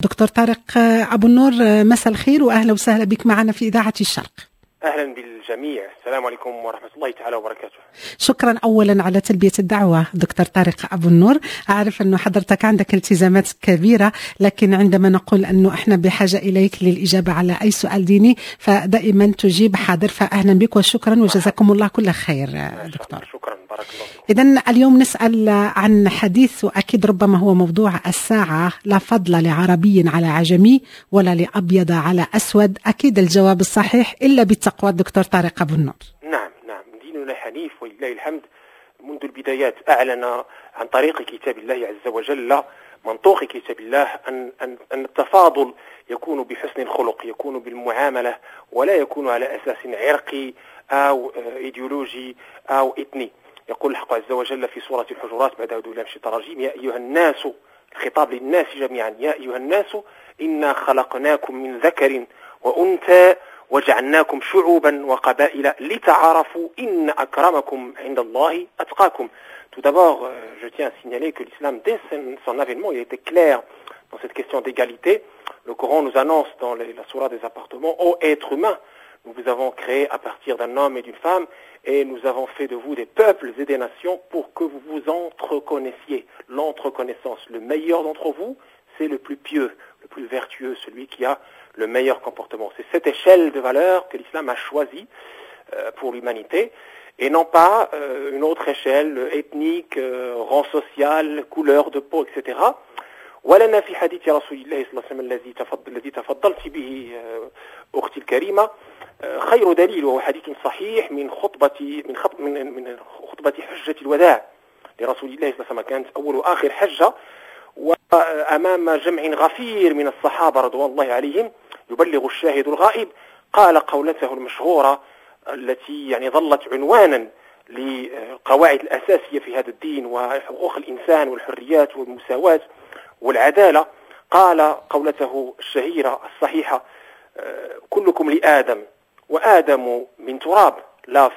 دكتور طارق أبو النور، مساء الخير وأهلا وسهلا بك معنا في إذاعة الشرق. أهلا بالجميع، السلام عليكم ورحمة الله تعالى وبركاته. شكرا أولا على تلبية الدعوة دكتور طارق أبو النور. أعرف أنه حضرتك عندك التزامات كبيرة، لكن عندما نقول أنه إحنا بحاجة إليك للإجابة على أي سؤال ديني فدائما تجيب حاضر، فأهلا بك وشكرا وجزاكم الله كل خير دكتور. شكرا، بارك الله فيك. إذا اليوم نسأل عن حديث وأكيد ربما هو موضوع الساعة: لا فضل لعربي على عجمي ولا لأبيض على أسود. أكيد الجواب الصحيح إلا بالتقوى. دكتور طارق أبو النور. نعم نعم، ديننا حنيف ولله الحمد، منذ البدايات أعلن عن طريق كتاب الله عز وجل، منطوق كتاب الله، أن التفاضل يكون بحسن الخلق، يكون بالمعاملة، ولا يكون على أساس عرقي أو إيديولوجي أو إثني. يقول الحق عز وجل في سورة الحجرات بعد أعوذ بالله من الشيطان الرجيم: يا أيها الناس، الخطاب للناس جميعا، يا أيها الناس إنا خلقناكم من ذكر وأنثى وجعلناكم شعوبا وقبائل لتعارفوا إن أكرمكم عند الله أتقاكم. Tout d'abord, je tiens à signaler que l'islam, dès son avènement, il était clair dans cette question d'égalité. Le Coran nous annonce dans la sourate des appartements: ô êtres humains, nous vous avons créé à partir d'un homme et d'une femme, et nous avons fait de vous des peuples et des nations pour que vous vous entreconnaissiez. L'entreconnaissance, le meilleur d'entre vous, c'est le plus pieux, le plus vertueux, celui qui a le meilleur comportement. C'est cette échelle de valeur que l'islam a choisie pour l'humanité, et non pas une autre échelle ethnique, rang social, couleur de peau, etc. ولنا في حديث رسول الله صلى الله عليه وسلم الذي تفضلت به أختي الكريمة خير دليل، وهو حديث صحيح من خطبة حجة الوداع لرسول الله صلى الله عليه وسلم، كانت أول وآخر حجة، وأمام جمع غفير من الصحابة رضوان الله عليهم يبلغ الشاهد الغائب، قال قولته المشهورة التي يعني ظلت عنوانا للقواعد الأساسية في هذا الدين وحقوق الإنسان والحريات والمساواة والعدالة. قال قولته الشهيرة الصحيحة: كلكم لآدم وآدم من تراب، لا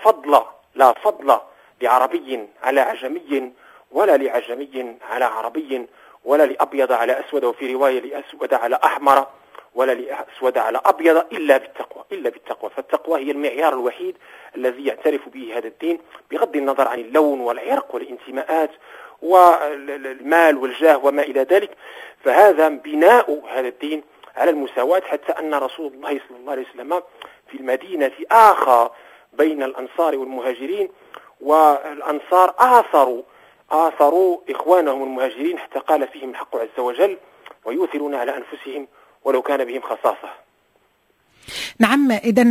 فضل لعربي على عجمي ولا لعجمي على عربي ولا لأبيض على أسود، وفي رواية لأسود على أحمر ولا لأسود على أبيض، إلا بالتقوى، إلا بالتقوى. فالتقوى هي المعيار الوحيد الذي يعترف به هذا الدين، بغض النظر عن اللون والعرق والانتماءات والمال والجاه وما إلى ذلك. فهذا بناء هذا الدين على المساواة، حتى أن رسول الله صلى الله عليه وسلم في المدينة آخى بين الأنصار والمهاجرين، والأنصار آثروا إخوانهم المهاجرين، حتى قال فيهم الحق عز وجل: ويؤثرون على أنفسهم ولو كان بهم خصاصة. نعم، إذا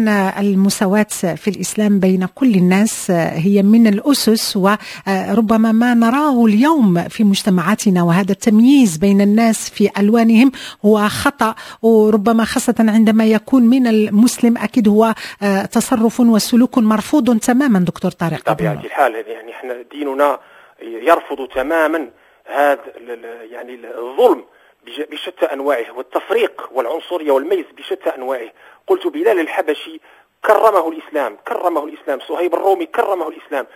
المساواة في الإسلام بين كل الناس هي من الأسس، وربما ما نراه اليوم في مجتمعاتنا وهذا التمييز بين الناس في ألوانهم هو خطأ، وربما خاصة عندما يكون من المسلم أكيد هو تصرف وسلوك مرفوض تماما دكتور طارق. بطبيعة الحال، يعني احنا ديننا يرفض تماما هذا يعني الظلم بشتى أنواعه والتفريق والعنصرية والميز بشتى أنواعه. قلت بلال الحبشي كرمه الإسلام، كرمه الإسلام، صهيب الرومي كرمه الإسلام،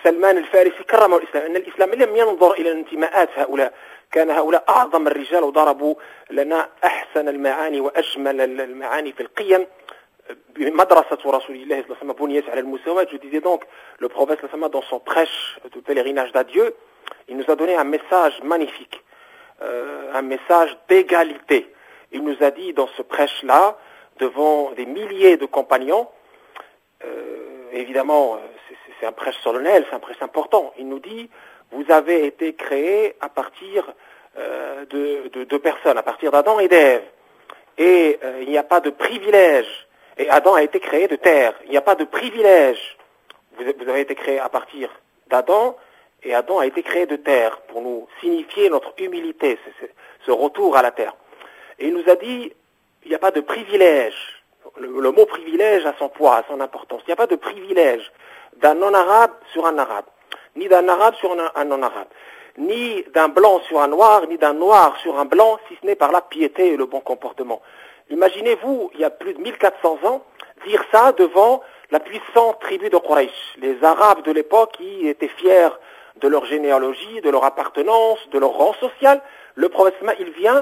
سلمان الفارسي كرمه الإسلام. أن الإسلام لم ينظر إلى انتماءات هؤلاء، كان هؤلاء أعظم الرجال وضربوا لنا أحسن المعاني وأجمل المعاني في القيم. مدرسة رسول الله صلى الله عليه وسلم بنيت على المساواة. Je disais donc, le prophète صلى الله عليه وسلم, dans son prêche de pèlerinage d'adieu, il nous a donné un message magnifique, un message d'égalité. Il nous a dit dans ce prêche-là, devant des milliers de compagnons, évidemment, c'est un prêche solennel, c'est un prêche important. Il nous dit: vous avez été créés à partir de deux personnes, à partir d'Adam et d'Ève. Et il n'y a pas de privilège. Et Adam a été créé de terre. Il n'y a pas de privilège. Vous avez été créés à partir d'Adam, et Adam a été créé de terre pour nous signifier notre humilité, ce retour à la terre. Et il nous a dit: il n'y a pas de privilège. Le mot privilège a son poids, a son importance. Il n'y a pas de privilège d'un non-arabe sur un arabe, ni d'un arabe sur un non-arabe, ni d'un blanc sur un noir, ni d'un noir sur un blanc, si ce n'est par la piété et le bon comportement. Imaginez-vous, il y a plus de 1400 ans, dire ça devant la puissante tribu de Quraysh, les Arabes de l'époque qui étaient fiers de leur généalogie, de leur appartenance, de leur rang social. Le prophète, il vient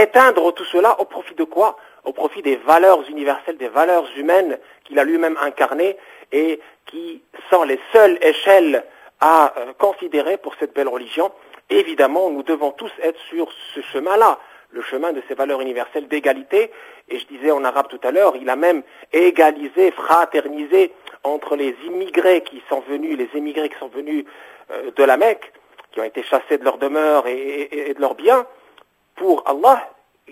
éteindre tout cela au profit de quoi? Au profit des valeurs universelles, des valeurs humaines qu'il a lui-même incarnées et qui sont les seules échelles à considérer pour cette belle religion. Évidemment, nous devons tous être sur ce chemin-là, le chemin de ces valeurs universelles d'égalité. Et je disais en arabe tout à l'heure, il a même égalisé, fraternisé entre les immigrés qui sont venus, les émigrés qui sont venus de la Mecque, qui ont été chassés de leur demeure et de leurs biens, pour Allah,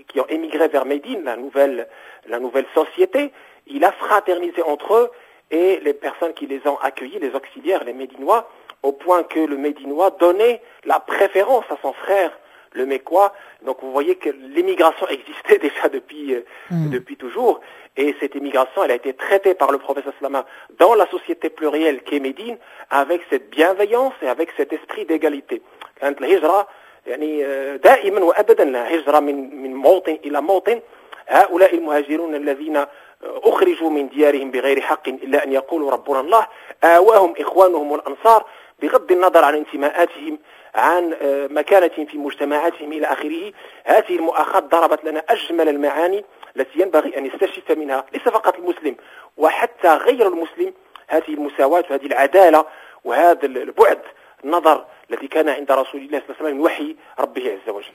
qui ont émigré vers Médine, la nouvelle société. Il a fraternisé entre eux et les personnes qui les ont accueillis, les auxiliaires, les Médinois, au point que le Médinois donnait la préférence à son frère, le Mecquois. Donc vous voyez que l'émigration existait déjà depuis toujours. Et cette émigration, elle a été traitée par le prophète صلى الله عليه وسلم dans la société plurielle qu'est Médine, avec cette bienveillance et avec cet esprit d'égalité. كانت الهجرة يعني دائما وابدا هجرة من موطن الى موطن. هؤلاء المهاجرون الذين اخرجوا من ديارهم بغير حق الا ان يقولوا ربنا الله، آواهم اخوانهم الانصار بغض النظر عن انتماءاتهم، عن مكانتهم في مجتمعاتهم الى اخره. هذه المؤاخاة ضربت لنا اجمل المعاني التي ينبغي ان يستشف منها ليس فقط المسلم وحتى غير المسلم هذه المساواة وهذه العدالة وهذا البعد النظر الذي كان عند رسول الله صلى الله عليه وسلم من وحي ربه عز وجل.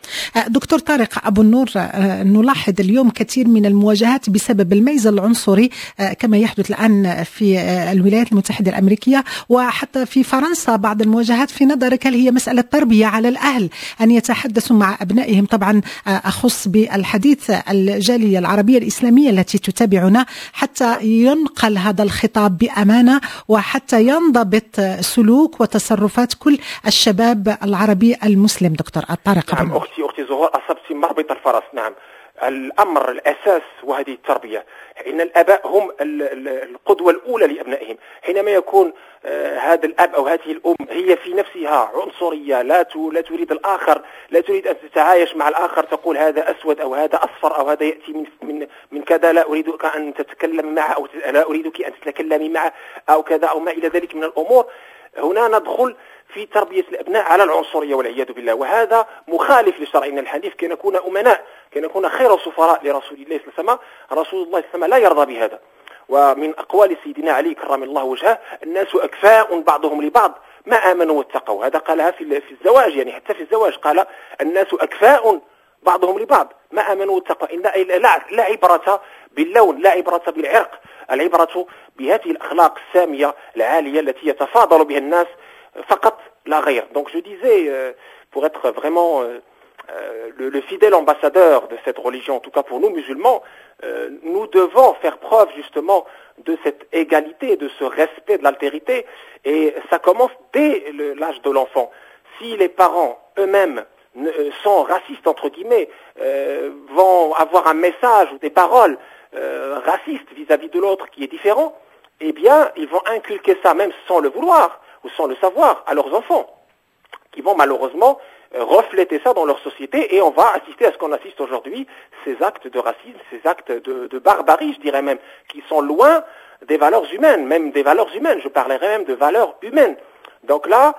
دكتور طارق أبو النور، نلاحظ اليوم كثير من المواجهات بسبب الميز العنصري كما يحدث الآن في الولايات المتحدة الأمريكية وحتى في فرنسا بعض المواجهات. في نظرك، هل هي مسألة تربية على الأهل أن يتحدثوا مع أبنائهم؟ طبعا أخص بالحديث الجالية العربية الإسلامية التي تتابعنا، حتى ينقل هذا الخطاب بأمانة وحتى ينضبط سلوك وتصرفات كل الشباب العربي المسلم، دكتور طارق؟ نعم أختي زهور، أصبت مربط الفرس. نعم، الأمر الأساس وهذه التربية. إن الآباء هم القدوة الأولى لأبنائهم. حينما يكون هذا الأب أو هذه الأم هي في نفسها عنصرية، لا تريد الآخر، لا تريد أن تتعايش مع الآخر، تقول هذا أسود أو هذا أصفر أو هذا يأتي من كذا، لا أريدك أن تتكلم معه أو لا أريدك أن تتكلمي معه أو كذا أو ما إلى ذلك من الأمور، هنا ندخل في تربية الأبناء على العنصرية والعياذ بالله، وهذا مخالف لشرعنا الحنيف. كي نكون أمناء، كي نكون خير سفراء لرسول الله صلى الله عليه وسلم، رسول الله صلى الله عليه وسلم لا يرضى بهذا. ومن أقوال سيدنا علي كرم الله وجهه: الناس أكفاء بعضهم لبعض ما آمنوا واتقوا. هذا قالها في الزواج، يعني حتى في الزواج قال: الناس أكفاء بعضهم لبعض ما آمنوا واتقوا. إن لا عبرة باللون، لا عبرة بالعرق، العبرة بهذه الأخلاق السامية العالية التي يتفاضل بها الناس فقط لا غير. Donc je disais, pour être vraiment le fidèle ambassadeur de cette religion, en tout cas pour nous musulmans, nous devons faire preuve justement de cette égalité, de ce respect de l'altérité, et ça commence dès l'âge de l'enfant. Si les parents eux-mêmes sont racistes, entre guillemets, vont avoir un message ou des paroles racistes vis-à-vis de l'autre qui est différent, eh bien, ils vont inculquer ça, même sans le vouloir ou sans le savoir, à leurs enfants, qui vont malheureusement refléter ça dans leur société, et on va assister à ce qu'on assiste aujourd'hui, ces actes de racisme, ces actes de barbarie, je dirais même, qui sont loin des valeurs humaines, même des valeurs humaines, je parlerais même de valeurs humaines. Donc là,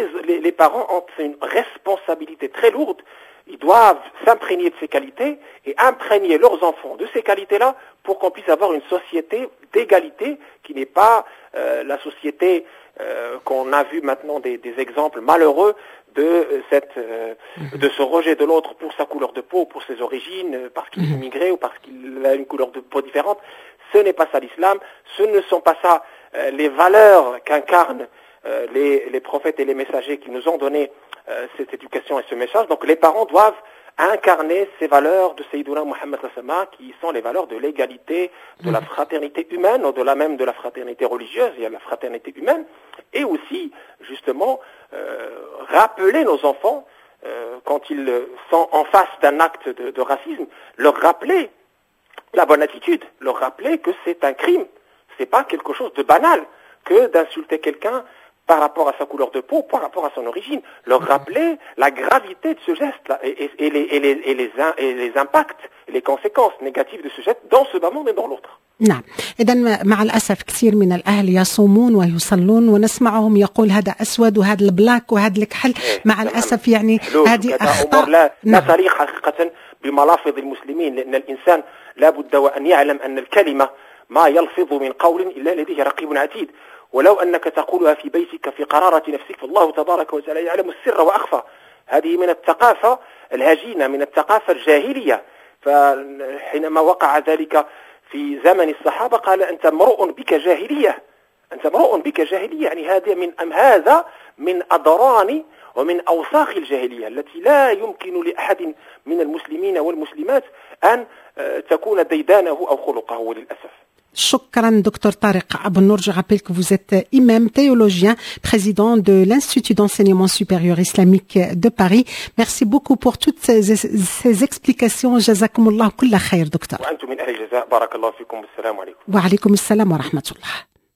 les parents ont une responsabilité très lourde. Ils doivent s'imprégner de ces qualités et imprégner leurs enfants de ces qualités-là pour qu'on puisse avoir une société d'égalité qui n'est pas la société qu'on a vu maintenant des exemples malheureux de ce rejet de l'autre pour sa couleur de peau, pour ses origines, parce qu'il est immigré ou parce qu'il a une couleur de peau différente. Ce n'est pas ça l'islam, ce ne sont pas ça les valeurs qu'incarnent les prophètes et les messagers qui nous ont donné cette éducation et ce message. Donc les parents doivent incarner ces valeurs de سيدنا محمد qui sont les valeurs de l'égalité, de la fraternité humaine, au-delà même de la fraternité religieuse, il y a la fraternité humaine, et aussi justement rappeler nos enfants quand ils sont en face d'un acte de racisme, leur rappeler la bonne attitude, leur rappeler que c'est un crime, c'est pas quelque chose de banal que d'insulter quelqu'un. par rapport à sa couleur de peau, par rapport à son origine. Leur rappeler la gravité de ce geste-là et les impacts, les conséquences négatives de ce geste dans ce bas monde et dans l'autre. نعم، إذا مع الأسف كثير من الأهل يصومون ويصلون ونسمعهم يقول هذا أسود وهذا ال black وهذا الكحل. مع الأسف يعني هذه أخطاء. لا، لا تليق حقيقة بملافظ المسلمين، لأن الإنسان لا بد وأن يعلم أن الكلمة ما يلفظ من قول إلا لديه رقيب عتيد، ولو أنك تقولها في بيتك في قرارة نفسك، فالله تبارك وتعالى يعلم السر وأخفى. هذه من الثقافة الهجينة، من الثقافة الجاهلية. فحينما وقع ذلك في زمن الصحابة قال: أنت امرؤ بك جاهلية، أنت امرؤ بك جاهلية. يعني هذا من أم هذا من أدران ومن أوساخ الجاهلية التي لا يمكن لأحد من المسلمين والمسلمات أن تكون ديدانه أو خلقه للأسف. شكرا دكتور طارق أبو النور. Je rappelle que vous êtes imam, théologien, président de l'Institut d'enseignement supérieur islamique de Paris. Merci beaucoup pour toutes ces explications. جزاكم الله كل خير دكتور. وأنتم من أهل الجزاء، بارك الله فيكم، والسلام عليكم. وعليكم السلام ورحمة الله.